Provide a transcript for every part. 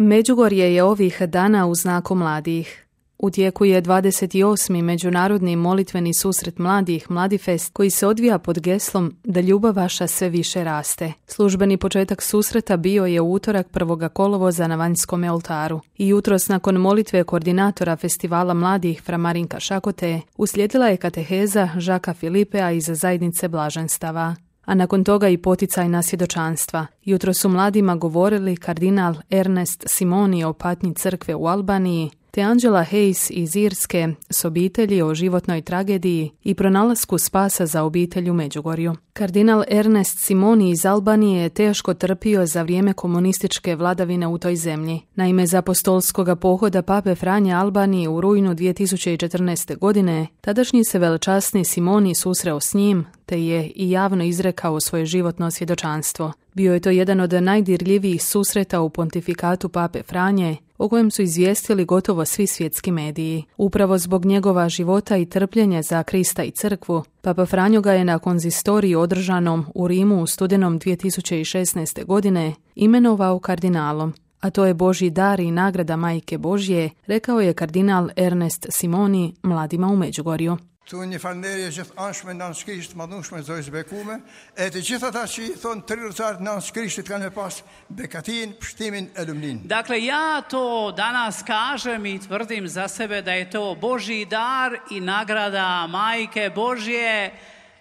Međugorje je ovih dana u znaku mladih. U tijeku je 28. međunarodni molitveni susret mladih Mladifest koji se odvija pod geslom da ljubav vaša sve više raste. Službeni početak susreta bio je u utorak 1. kolovoza na Vanjskom oltaru i jutros nakon molitve koordinatora festivala mladih Fra Marinka Šakote uslijedila je kateheza Žaka Filipea iz zajednice blaženstava. A nakon toga i poticajna svjedočanstva. Jutro su mladima govorili kardinal Ernest Simoni o patnji crkve u Albaniji, te Angela Hayes iz Irske s obitelji o životnoj tragediji i pronalasku spasa za obitelj u Međugorju. Kardinal Ernest Simoni iz Albanije je teško trpio za vrijeme komunističke vladavine u toj zemlji. Naime, za apostolskoga pohoda Pape Franje Albaniji u rujnu 2014. godine, tadašnji se velečasni Simoni susreo s njim, te je i javno izrekao svoje životno svjedočanstvo. Bio je to jedan od najdirljivijih susreta u pontifikatu Pape Franje, o kojem su izvijestili gotovo svi svjetski mediji. Upravo zbog njegova života i trpljenja za Krista i crkvu, Papa Franjo ga je na konzistoriji održanom u Rimu u studenom 2016. godine imenovao kardinalom. A to je Božji dar i nagrada Majke Božje, rekao je kardinal Ernest Simoni mladima u Međugorju. Toen je falënderje gjithashme nans Krishtit madhnueshme Zotës bekume, e të gjithë ata që i thonë trilëtar nans Krishtit kanë me pas bekatin, pështimin e lumnin. Dakle, ja to danas kažem i tvrdim za sebe da je to Božji dar i nagrada Majke Božje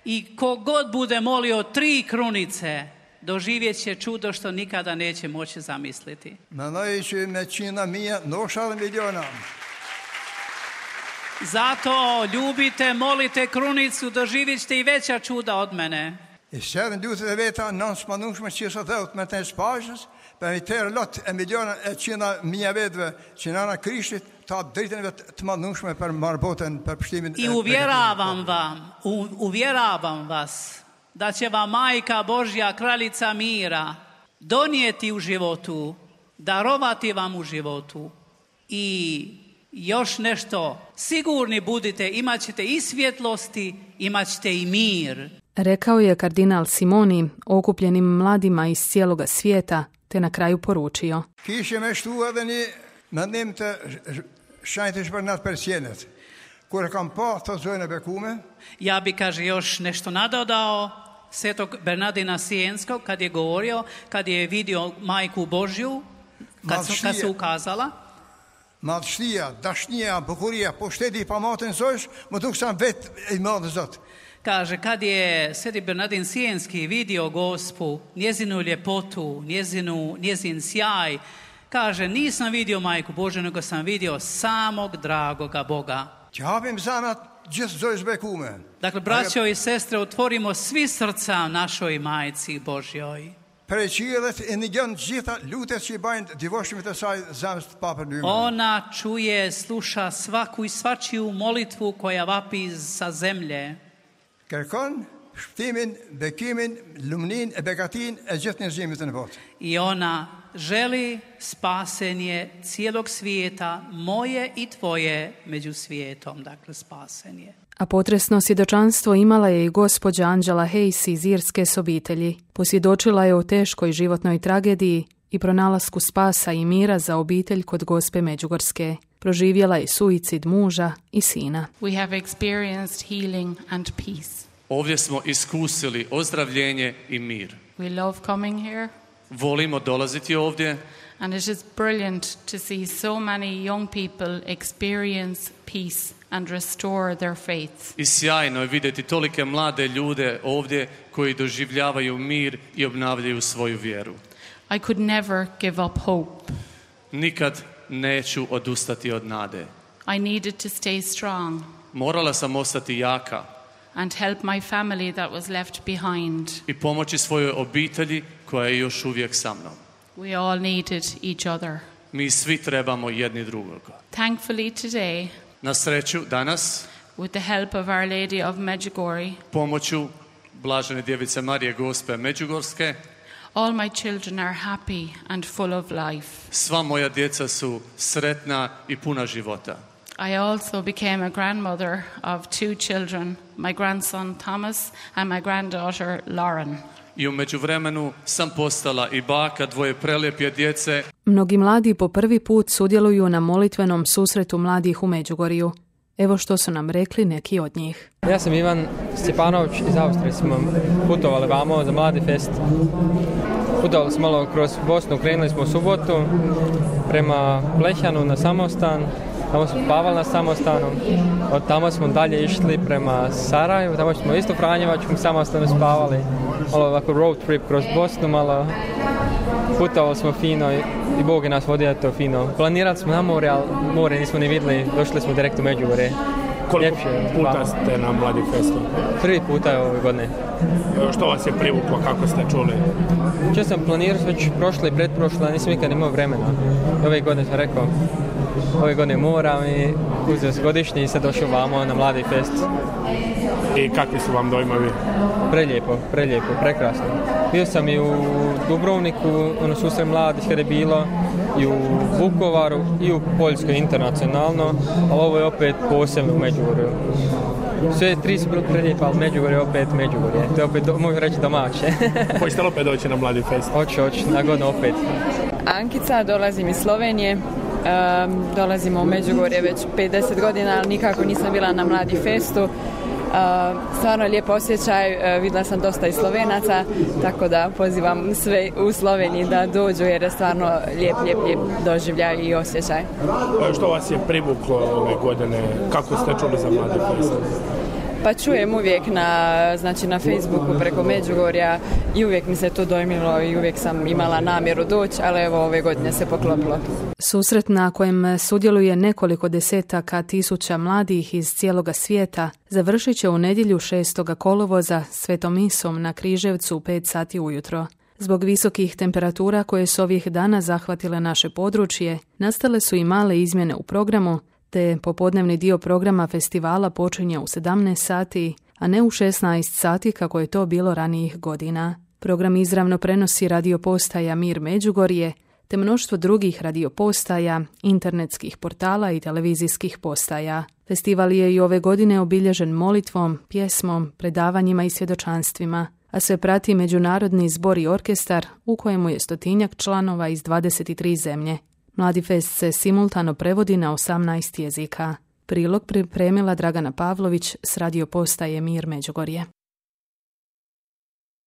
i kogod bude molio 3 krunice, doživjet će čudo što nikada neće moći zamisliti. Mendoj që me qina mija, ndoshta edhe miliona. Zato ljubite, molite krunicu, doživjet ćete i veća čuda od mene. I sërën duhet e veta nans madhnueshme që sa dhëut me të spashës, për i tërë lot e miliona e qina mija vetëve që nana Krishtit ta dritën vetë të madhnueshme për marboten, për pështimin I uvjeravam vas da će vam Majka Božja, kraljica mira, donijeti u životu, darovati vam u životu i još nešto, sigurni budite, imat ćete i svjetlosti, imat ćete i mir. Rekao je kardinal Simoni okupljenim mladima iz cijeloga svijeta, te na kraju poručio. Kishe me shtu edhe një mendim të shanjtë për natë persjenet. Kur kam pa të zojnë e bekume. Ja bi, kaže, još nešto nadodao svetog Bernardina Sienskog kad je govorio, kad je vidio Majku Božju, kad se ukazala. Madhështia, dashnija, bukuria, po shteti pa matën zosh, më duk sam vet i madhë Zot. Kaže, kad je sveti Bernardin Sienski vidio Gospu, njezinu ljepotu, njezin sjaj, kaže, nisam vidio Majku Božju, nego sam vidio samog dragoga Boga. Që hapim zanat gjithë Zojës bekume. Dakle, braćo i sestre, otvorimo svi srca našoj Majci Božjoj. Prej qiellet e negjon gjitha lutet që I bajnë divoshmit e saj zemrës të Papën Lyman. Ona čuje, sluša svaku i svačiju molitvu koja vapi sa zemlje. Kërkon shpëtimin, bekimin, lumnin e bekatin e gjithë njerëzimit në botë. I ona želi spasenje cijelog svijeta, moje i tvoje među svijetom, dakle spasenje. A potresno svjedočanstvo imala je i gospođa Angela Hayes iz Irske s obitelji. Posvjedočila je o teškoj životnoj tragediji i pronalasku spasa i mira za obitelj kod Gospe Međugorske. Proživjela je suicid muža i sina. We have experienced healing and peace. Ovdje smo iskusili ozdravljenje i mir. We love coming here. Volimo dolaziti ovdje. And it is brilliant to see so many young people experience peace and restore their faith. I sjajno je vidjeti tolike mlade ljude ovdje koji doživljavaju mir i obnavljaju svoju vjeru. I could never give up hope. Nikad neću odustati od nade. I needed to stay strong. Morala sam ostati jaka. And help my family that was left behind. I pomoći svojoj obitelji koja je još uvijek sa mnom. We all needed each other. Mi svi trebamo jedni drugog. Thankfully today, na sreću danas, with the help of Our Lady of Medjugorje, pomoću Blažene Djevice Marije Gospe Međugorske, all my children are happy and full of life. Sva moja djeca su sretna i puna života. I also became a grandmother of 2 children, my grandson Thomas and my granddaughter Lauren. i u međuvremenu sam postala i baka dvoje prelijepe djece. Mnogi mladi po prvi put sudjeluju na molitvenom susretu mladih u Međugorju. Evo što su nam rekli neki od njih. Ja sam Ivan Stjepanović iz Austrije. Smo putovali vamo za Mladi fest. Putovali smo malo kroz Bosnu, krenuli smo u subotu prema Blehjanu na samostan. Tamo smo spavali na samostanu. Od tamo smo dalje išli prema Sarajevu. Tamo smo isto u Franjevačkom samostanu spavali. Malo ovako road trip kroz Bosnu, malo putovali smo fino i Bog je nas vodio to fino. Planirali smo na more, ali more nismo ni vidjeli. Došli smo direkt u Međugorje. Koliko puta ste na Mladi festu? Prvi puta je ove godine. Što vas je privuklo, kako ste čuli? Če sam planirao već prošle i pretprošle, nisam nikad imao vremena. Ove godine sam rekao, ove godine moram i uzeo se godišnji i sad došao vamo na Mladi fest. I kakvi su vam dojmovi? Prelijepo, prekrasno. Bio sam i u Dubrovniku, susret mladih kada je bilo, i u Vukovaru, i u Poljskoj internacionalno, ali ovo je opet posebno u Međugorju. Sve tri su bili prelijepo, ali Međugorje je opet Međugorje. To je opet, mogu reći, domaće. Hoćete li opet doći na Mladi fest? Hoću, na godinu opet. Ankica, dolazim iz Slovenije. Dolazimo u Međugorje već 50 godina, ali nikako nisam bila na Mladi festu. Stvarno je lijep osjećaj, vidjela sam dosta i Slovenaca, tako da pozivam sve u Sloveniji da dođu jer je stvarno lijep doživljaj i osjećaj. Što vas je privuklo ove godine, kako ste čuli za Mladi fest? Pa čujem uvijek na Facebooku preko Međugorja i uvijek mi se to dojmilo i uvijek sam imala namjeru doći, ali evo ove godine se poklopilo. Susret na kojem sudjeluje nekoliko desetaka tisuća mladih iz cijeloga svijeta završit će u nedjelju 6. kolovoza svetom misom na Križevcu u 5 sati ujutro. Zbog visokih temperatura koje su ovih dana zahvatile naše područje, nastale su i male izmjene u programu, te popodnevni dio programa festivala počinje u 17 sati, a ne u 16 sati kako je to bilo ranijih godina. Program izravno prenosi radiopostaja Mir Međugorje, te mnoštvo drugih radiopostaja, internetskih portala i televizijskih postaja. Festival je i ove godine obilježen molitvom, pjesmom, predavanjima i svjedočanstvima, a sve prati međunarodni zbor i orkestar u kojemu je 100-tinjak članova iz 23 zemlje. Mladi fest se simultano prevodi na 18 jezika. Prilog pripremila Dragana Pavlović s radiopostaje Mir Međugorje.